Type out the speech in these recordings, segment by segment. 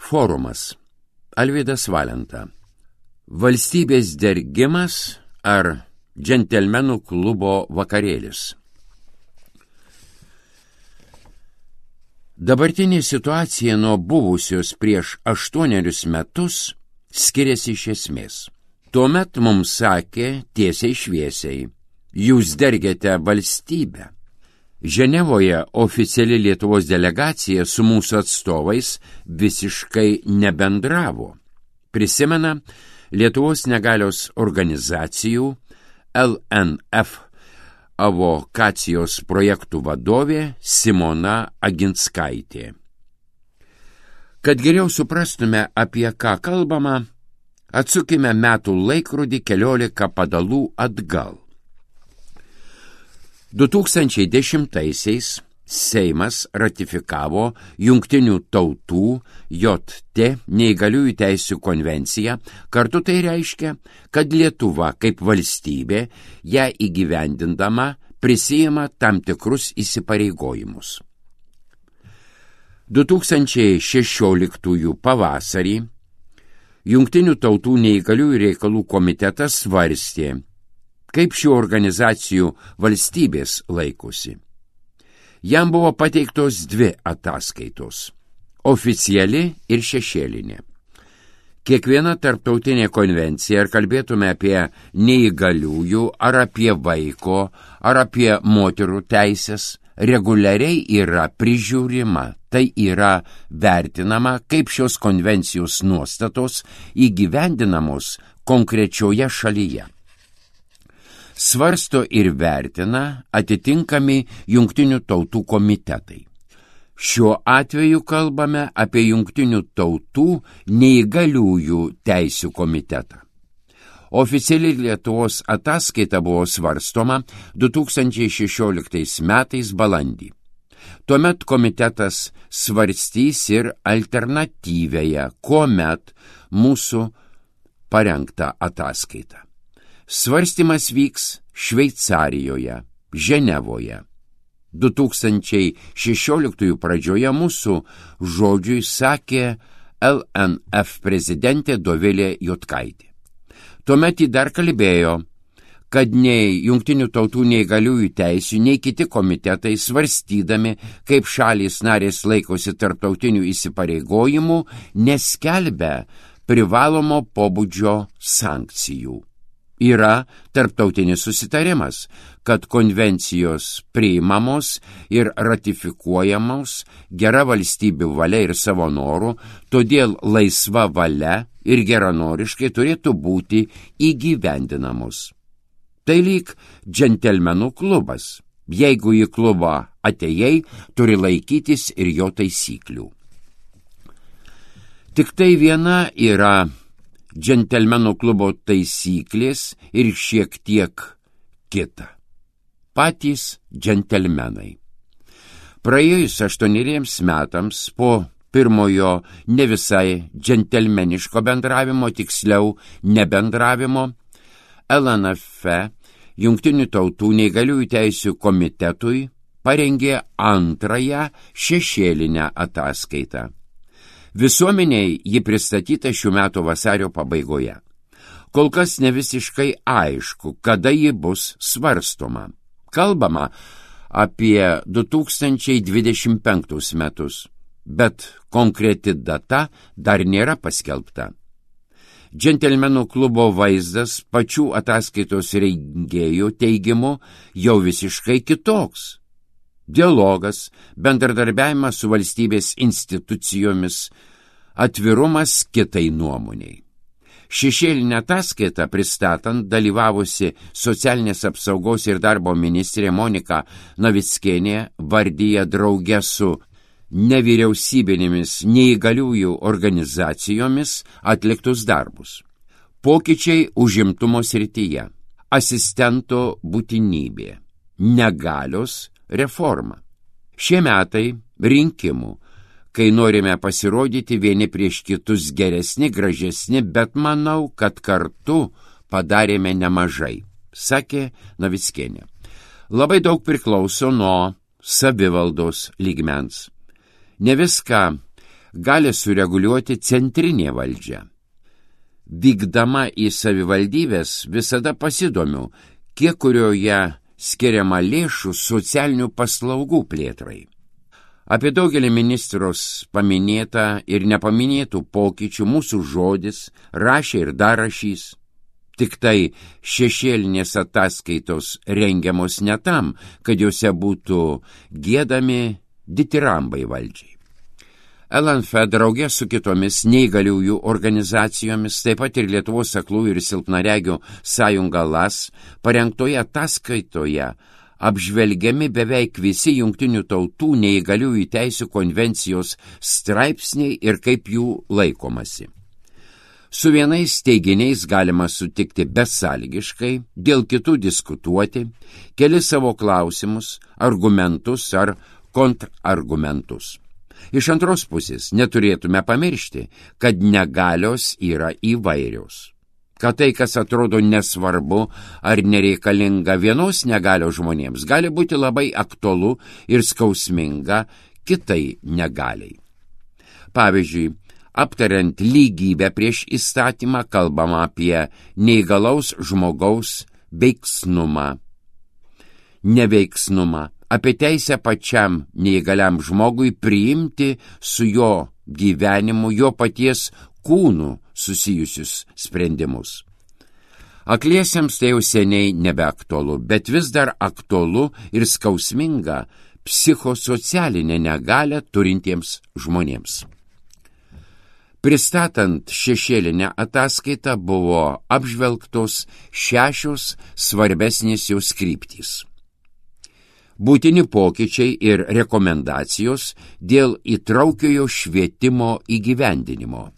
Forumas. Alvydas Valenta. Valstybės dergimas ar džentelmenų klubo vakarėlis. Dabartinė situacija nuo buvusios prieš 8 metus skiriasi iš esmės. Tuomet mums sakė tiesiai šviesiai: jūs dergiate valstybę. Ženevoje oficiali Lietuvos delegacija su mūsų atstovais visiškai nebendravo. Prisimena Lietuvos negalios organizacijų LNF avokacijos projektų vadovė Simona Aginskaitė. Kad geriau suprastume, apie ką kalbama, atsukime metų laikrodį 14 padalų atgal. 2010-aisiais Seimas ratifikavo Jungtinių tautų JT neįgaliųjų teisių konvenciją. Kartu tai reiškia, kad Lietuva kaip valstybė ją įgyvendindama prisiima tam tikrus įsipareigojimus. 2016 pavasarį Jungtinių tautų neįgaliųjų reikalų komitetas svarstė, kaip šių organizacijų valstybės laikosi. Jam buvo pateiktos 2 ataskaitos – oficiali ir šešėlinė. Kiekviena tarptautinė konvencija, ar kalbėtume apie neįgaliųjų, ar apie vaiko, ar apie moterų teisės, reguliariai yra prižiūrima, tai yra vertinama, kaip šios konvencijos nuostatos įgyvendinamos konkrečioje šalyje. Svarsto ir vertina atitinkami Jungtinių tautų komitetai. Šiuo atveju kalbame apie Jungtinių tautų neįgaliųjų teisių komitetą. Oficiali Lietuvos ataskaita buvo svarstoma 2016 metais balandį. Tuomet komitetas svarstys ir alternatyvėje, kuomet mūsų parengtą ataskaitą. Svarstymas vyks Šveicarijoje, Ženevoje. 2016 pradžioje mūsų žodžiui sakė LNF prezidentė Dovilė Juodkaitė. Tuomet ji dar kalbėjo, kad nei Jungtinių tautų neįgaliųjų teisių, nei kiti komitetai svarstydami, kaip šalys narės laikosi tarptautinių įsipareigojimų, neskelbia privalomo pobūdžio sankcijų. Yra tarptautinis susitarimas, kad konvencijos priimamos ir ratifikuojamos gera valstybių valia ir savo norų, todėl laisva valia ir geranoriškai turėtų būti įgyvendinamos. Tai lyg džentelmenų klubas. Jeigu į klubą atėjai, turi laikytis ir jo taisyklių. Tik tai viena yra džentelmenų klubo taisyklės ir šiek tiek kita. Patys džentelmenai. Praėjus 8 metams po pirmojo ne visai džentelmeniško bendravimo, tiksliau nebendravimo, LNF Jungtinių tautų neįgaliųjų teisių komitetui parengė antrąją šešėlinę ataskaitą. Visuomeniai ji pristatyta šių metų vasario pabaigoje. Kol kas ne visiškai aišku, kada ji bus svarstoma. Kalbama apie 2025 metus, bet konkreti data dar nėra paskelbta. Džentelmenų klubo vaizdas pačių ataskaitos rengėjų teigimu jau visiškai kitoks. Dialogas, bendradarbiavimas su valstybės institucijomis, atvirumas kitai nuomoniai. Šešėlinę ataskaitą pristatant dalyvavusi socialinės apsaugos ir darbo ministrė Monika Navickienė vardyja drauge su nevyriausybinėmis neįgaliųjų organizacijomis atliktus darbus. Pokyčiai užimtumo srityje, asistento būtinybė, negalios reforma. Šie metai rinkimų, kai norime pasirodyti vieni prieš kitus geresni, gražesni, bet manau, kad kartu padarėme nemažai, sakė Navickienė. Labai daug priklauso nuo savivaldos lygmens. Ne viską gali sureguliuoti centrinė valdžia. Vykdama į savivaldybės visada pasidomiu, kiek kurioje skiriama lėšų socialinių paslaugų plėtrai. Apie daugelį ministros paminėtą ir nepaminėtų pokyčių mūsų žodis rašė ir dar rašys. Tik tai šešėlinės ataskaitos rengiamos ne tam, kad juose būtų giedami ditirambai valdžiai. LNF draugė su kitomis neįgaliųjų organizacijomis, taip pat ir Lietuvos aklųjų ir silpnaregių sąjunga LAS, parengtoje ataskaitoje apžvelgiami beveik visi Jungtinių tautų neįgaliųjų teisių konvencijos straipsniai ir kaip jų laikomasi. Su vienais teiginiais galima sutikti besąlygiškai, dėl kitų diskutuoti, keli savo klausimus, argumentus ar kontrargumentus. Iš antros pusės neturėtume pamiršti, kad negalios yra įvairios. Kad tai, kas atrodo nesvarbu ar nereikalinga vienos negalios žmonėms, gali būti labai aktualu ir skausminga kitai negaliai. Pavyzdžiui, aptariant lygybę prieš įstatymą, kalbama apie neįgalaus žmogaus veiksnumą, neveiksnumą, apie teisę pačiam neįgaliam žmogui priimti su jo gyvenimu, jo paties kūnu susijusius sprendimus. Akliesiems tai jau seniai nebeaktualu, bet vis dar aktualu ir skausminga psichosocialinę negalią turintiems žmonėms. Pristatant šešėlinę ataskaitą buvo apžvelgtos 6 svarbesnės jos kryptys. Būtini pokyčiai ir rekomendacijos dėl įtraukiojo švietimo įgyvendinimo.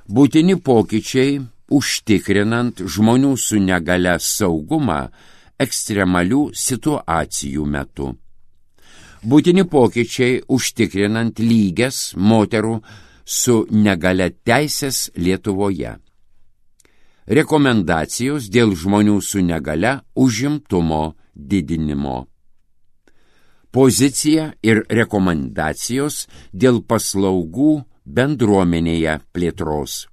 Būtini pokyčiai užtikrinant žmonių su negalia saugumą ekstremalių situacijų metu. Būtini pokyčiai užtikrinant lygias moterų su negalia teisės Lietuvoje. Rekomendacijos dėl žmonių su negalia užimtumo didinimo. Pozicija ir rekomendacijos dėl paslaugų bendruomenėje plėtros.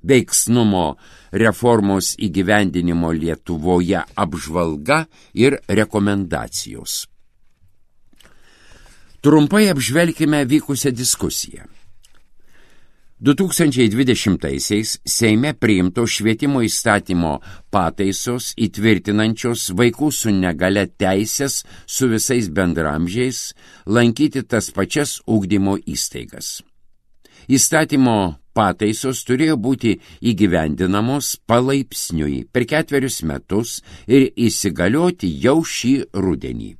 Veiksnumo reformos įgyvendinimo Lietuvoje apžvalga ir rekomendacijos. Trumpai apžvelkime vykusią diskusiją. 2020-aisiais Seime priimto švietimo įstatymo pataisos įtvirtinančios vaikų su negalia teisės su visais bendramžiais lankyti tas pačias ugdymo įstaigas. Įstatymo pataisos turėjo būti įgyvendinamos palaipsniui per 4 metus ir įsigalioti jau šį rudenį.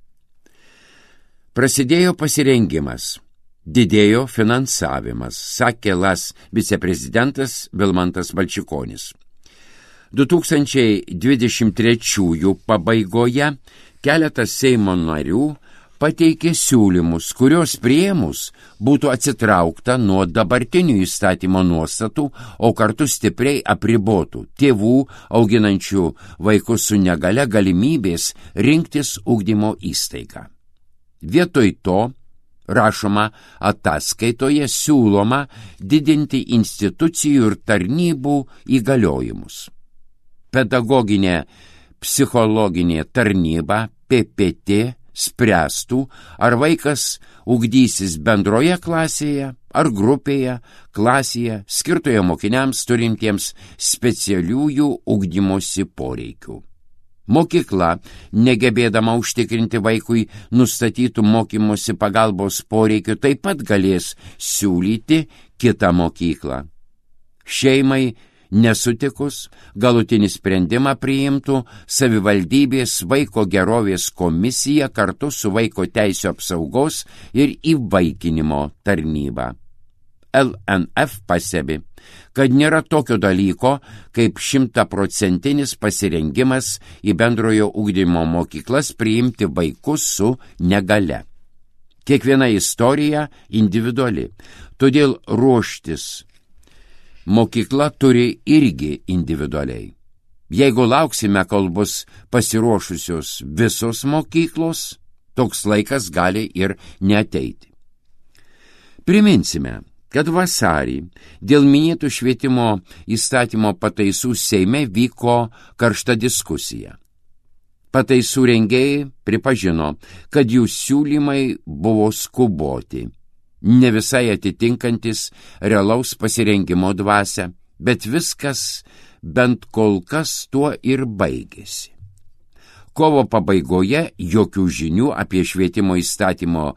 Prasidėjo pasirengimas. Didėjo finansavimas, sakė LAS viceprezidentas Vilmantas Valčikonis. 2023 pabaigoje keletas Seimo narių pateikė siūlymus, kurios priėmus būtų atsitraukta nuo dabartinių įstatymo nuostatų, o kartu stipriai apribotų tėvų auginančių vaikus su negalia galimybės rinktis ugdymo įstaigą. Vietoj to, rašoma ataskaitoje, siūloma didinti institucijų ir tarnybų įgaliojimus. Pedagoginė psichologinė tarnyba PPT spręstų, ar vaikas ugdysis bendroje klasėje ar grupėje, klasėje, skirtoje mokiniams turintiems specialiųjų ugdymosi poreikių. Mokykla, negebėdama užtikrinti vaikui nustatytų mokymosi pagalbos poreikių, taip pat galės siūlyti kitą mokyklą. Šeimai nesutikus, galutinį sprendimą priimtų savivaldybės vaiko gerovės komisija kartu su vaiko teisių apsaugos ir įvaikinimo tarnyba. LNF pastebi, kad nėra tokio dalyko kaip 100% pasirengimas į bendrojo ugdymo mokyklas priimti vaikus su negalia. Kiekviena istorija individuali, todėl ruoštis mokykla turi irgi individualiai. Jeigu lauksime, kol bus pasiruošusios visos mokyklos, toks laikas gali ir neateiti. Priminsime, kad vasarį dėl minėtų švietimo įstatymo pataisų Seime vyko karšta diskusija. Pataisų rengėjai pripažino, kad jų siūlymai buvo skuboti, ne visai atitinkantis realaus pasirengimo dvasią, bet viskas bent kol kas tuo ir baigėsi. Kovo pabaigoje jokių žinių apie švietimo įstatymo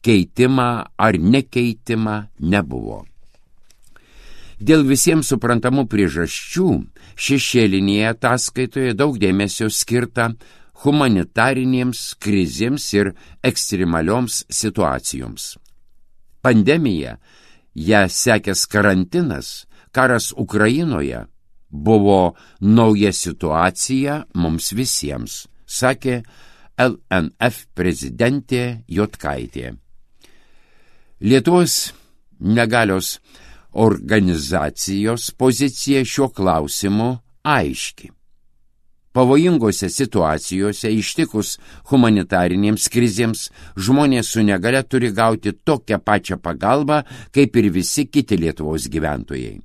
keitimą ar nekeitimą nebuvo. Dėl visiems suprantamų priežasčių šešėlinėje ataskaitoje daug dėmesio skirta humanitarinėms krizėms ir ekstremalioms situacijoms. Pandemija, ją sekęs karantinas, karas Ukrainoje buvo nauja situacija mums visiems, sakė LNF prezidentė Jotkaitė. Lietuvos negalios organizacijos pozicija šiuo klausimu aiški. Pavojingose situacijose ištikus humanitarinėms krizėms žmonės su negalia turi gauti tokią pačią pagalbą, kaip ir visi kiti Lietuvos gyventojai.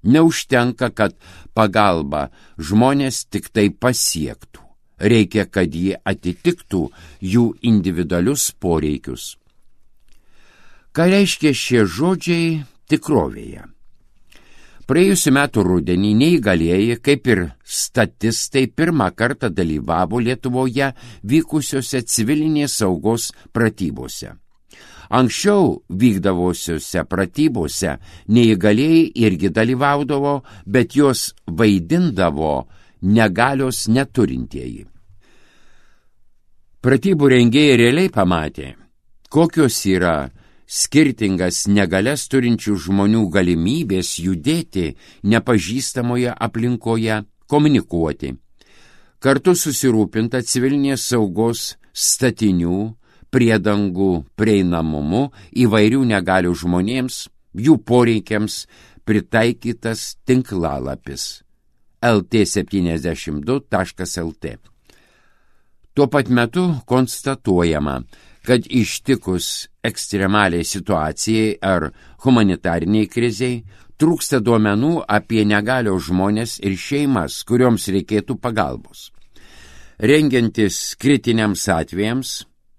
Neužtenka, kad pagalba žmonės tik tai pasiektų. Reikia, kad jie atitiktų jų individualius poreikius. Ką reiškia šie žodžiai tikrovėje? Praėjusiu metu rudenį neįgalieji, kaip ir statistai, pirmą kartą dalyvavo Lietuvoje vykusiuose civilinės saugos pratybose. Anksčiau vykdavosiuose pratybose neįgalieji irgi dalyvaudavo, bet juos vaidindavo negalios neturintieji. Pratybų rengėjai realiai pamatė, kokios yra skirtingas negalias turinčių žmonių galimybės judėti nepažįstamoje aplinkoje, komunikuoti. Kartu susirūpinta civilinės saugos statinių, priedangų prieinamumu įvairių negalių žmonėms, jų poreikiams pritaikytas tinklalapis lt72.lt. Tuo pat metu konstatuojama, kad ištikus ekstremaliai situacijai ar humanitariniai kriziai trūksta duomenų apie negalios žmonės ir šeimas, kurioms reikėtų pagalbos. Rengiantis kritiniams atvejams,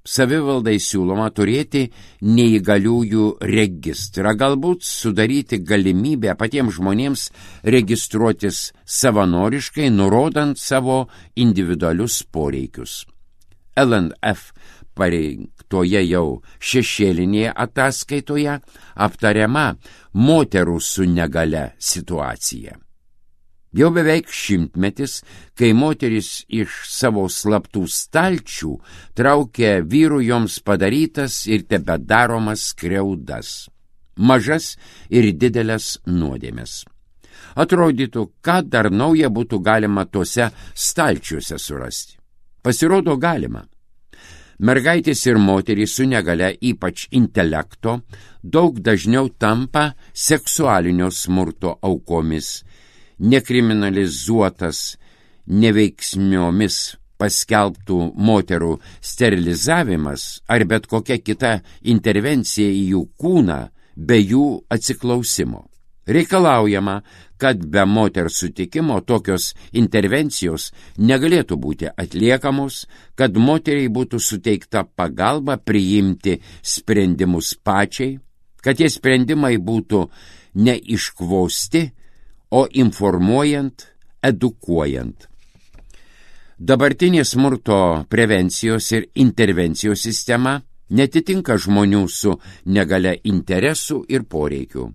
savivaldai siūloma turėti neįgaliųjų registrą, galbūt sudaryti galimybę patiems žmonėms registruotis savanoriškai, nurodant savo individualius poreikius. LNF pareiktoje jau šešėlinėje ataskaitoje aptariama moterų su negale situacija. Jau beveik 100 metis, kai moteris iš savo slaptų stalčių traukia vyrų joms padarytas ir tebedaromas skriaudas, mažas ir didelės nuodėmes. Atrodytų, ką dar nauja būtų galima tuose stalčiuose surasti. Pasirodo galima. Mergaitės ir moterys su negale, ypač intelekto, daug dažniau tampa seksualinio smurto aukomis. Nekriminalizuotas neveiksmiomis paskelbtų moterų sterilizavimas ar bet kokia kita intervencija į jų kūną be jų atsiklausimo. Reikalaujama, kad be moters sutikimo tokios intervencijos negalėtų būti atliekamos, kad moteriai būtų suteikta pagalba priimti sprendimus pačiai, kad tie sprendimai būtų neiškvosti, o informuojant, edukuojant. Dabartinė smurto prevencijos ir intervencijos sistema netitinka žmonių su negale interesų ir poreikių.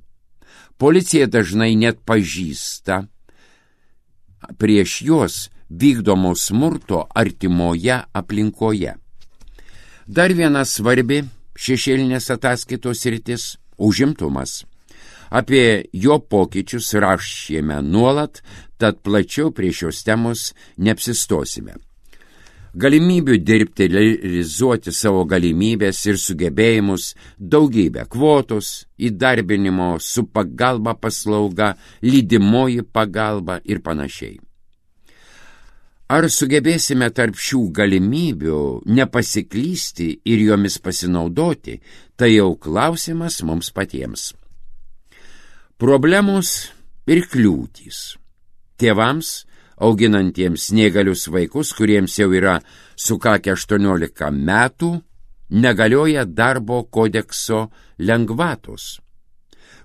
Policija dažnai net pažįsta prieš juos vykdomo smurto artimoje aplinkoje. Dar viena svarbi šešėlinės ataskaitos sritis – užimtumas. Apie jo pokyčius rašėme nuolat, tad plačiau prie šios temos neapsistosime. Galimybių dirbti, realizuoti savo galimybės ir sugebėjimus, daugybė kvotos, įdarbinimo su pagalba paslauga, lydimoji pagalba ir panašiai. Ar sugebėsime tarp šių galimybių nepasiklysti ir jomis pasinaudoti, tai jau klausimas mums patiems. Problemos ir kliūtys. Tėvams, auginantiems neįgalius vaikus, kuriems jau yra sukakę 18 metų, negalioja darbo kodekso lengvatos.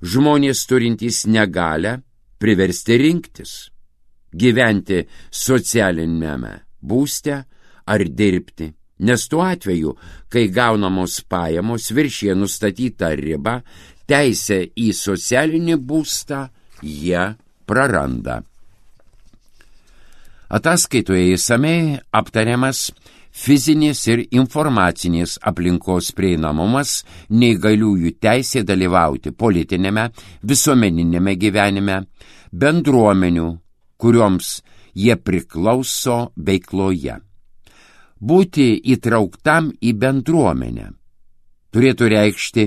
Žmonės turintys negalią priversti rinktis, gyventi socialinėme būste ar dirbti, nes tuo atveju, kai gaunamos pajamos viršija nustatytą ribą, teisę į socialinį būstą jie praranda. Ataskaitoje išsamiai aptariamas fizinės ir informacinės aplinkos prieinamumas, neįgaliųjų teisė dalyvauti politinėme, visuomeninėme gyvenime, bendruomenių, kurioms jie priklauso veikloje. Būti įtrauktam į bendruomenę turėtų reikšti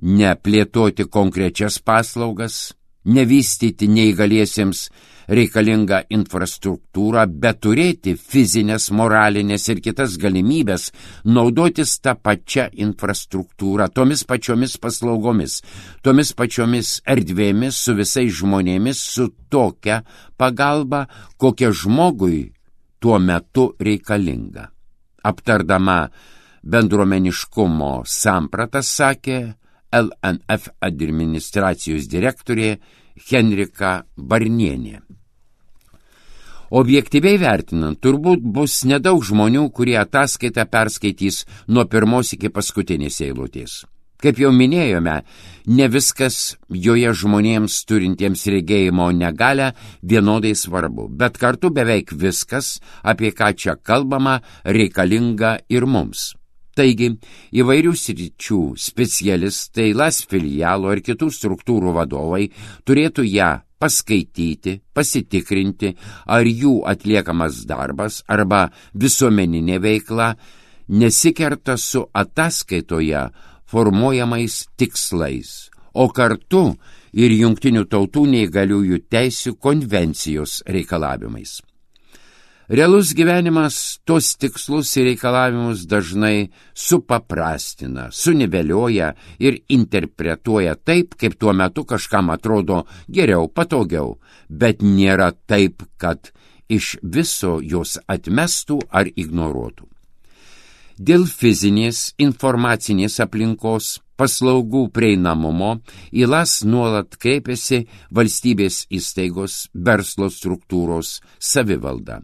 neplėtoti konkrečias paslaugas, nevystyti neįgaliesiems reikalingą infrastruktūrą, bet turėti fizinės, moralinės ir kitas galimybės naudotis tą pačią infrastruktūrą, tomis pačiomis paslaugomis, tomis pačiomis erdvėmis, su visais žmonėmis, su tokia pagalba, kokia žmogui tuo metu reikalinga. Aptardama bendruomeniškumo sampratas, sakė LNF administracijos direktorė Henrika Barnienė. Objektyviai vertinant, turbūt bus nedaug žmonių, kurie ataskaitą perskaitys nuo pirmos iki paskutinės eilutės. Kaip jau minėjome, ne viskas joje žmonėms turintiems regėjimo negalią vienodai svarbu, bet kartu beveik viskas, apie ką čia kalbama, reikalinga ir mums. Taigi, įvairių sričių specialistai, LAS filialo ir kitų struktūrų vadovai turėtų ją paskaityti, pasitikrinti, ar jų atliekamas darbas arba visuomeninė veikla nesikerta su ataskaitoje formuojamais tikslais, o kartu ir Jungtinių tautų neįgaliųjų teisių konvencijos reikalavimais. Realus gyvenimas tos tikslus ir reikalavimus dažnai supaprastina, sunivelioja ir interpretuoja taip, kaip tuo metu kažkam atrodo geriau, patogiau, bet nėra taip, kad iš viso jos atmestų ar ignoruotų. Dėl fizinės informacinės aplinkos paslaugų prieinamumo į LAS nuolat kreipiasi valstybės įstaigos, verslo struktūros, savivalda.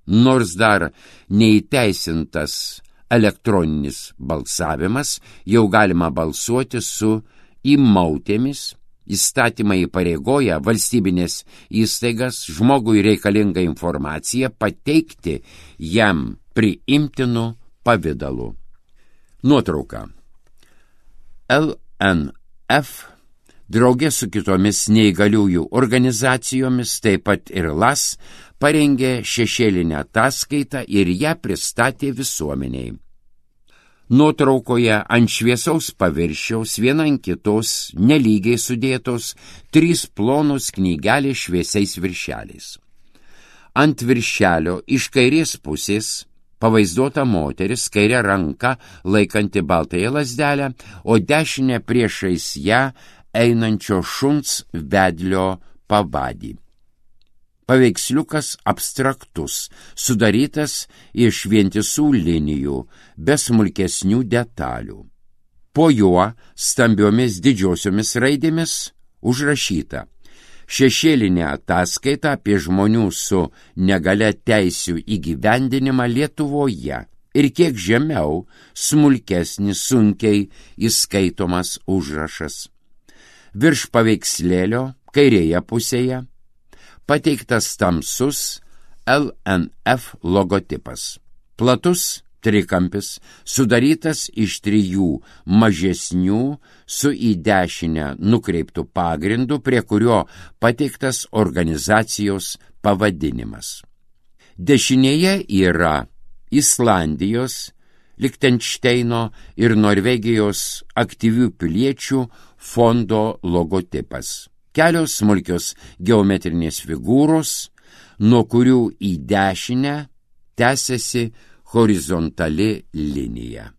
Nors dar neįteisintas elektroninis balsavimas, jau galima balsuoti su įmautėmis. Įstatymai įpareigoja valstybinės įstaigas žmogui reikalingą informaciją pateikti jam priimtinu pavidalu. Nuotrauka. LNF draugė su kitomis neįgaliųjų organizacijomis, taip pat ir LAS, parengė šešėlinę ataskaitą ir ją pristatė visuomeniai. Nuotraukoje ant šviesaus paviršiaus viena ant kitos nelygiai sudėtos 3 plonos knygelės šviesiais viršeliais. Ant viršelio iš kairės pusės pavaizduota moteris, kairė ranka laikanti baltąją lazdelę, o dešinė priešais ją einančio šuns vedlio pavadį. Paveiksliukas abstraktus, sudarytas iš vientisų linijų, be smulkesnių detalių. Po juo stambiomis didžiosiomis raidėmis užrašyta: šešėlinė ataskaita apie žmonių su negalia teisių įgyvendinimą Lietuvoje ir kiek žemiau smulkesnis, sunkiai įskaitomas užrašas. Virš paveikslėlio kairėje pusėje pateiktas tamsus LNF logotipas. Platus trikampis, sudarytas iš 3 mažesnių su į dešinę nukreiptų pagrindų, prie kurio pateiktas organizacijos pavadinimas. Dešinėje yra Islandijos, Lichtenšteino ir Norvegijos aktyvių piliečių fondo logotipas. Kelios smulkios geometrinės figūros, nuo kurių į dešinę tęsiasi horizontali linija.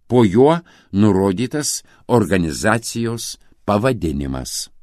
Po juo nurodytas organizacijos pavadinimas.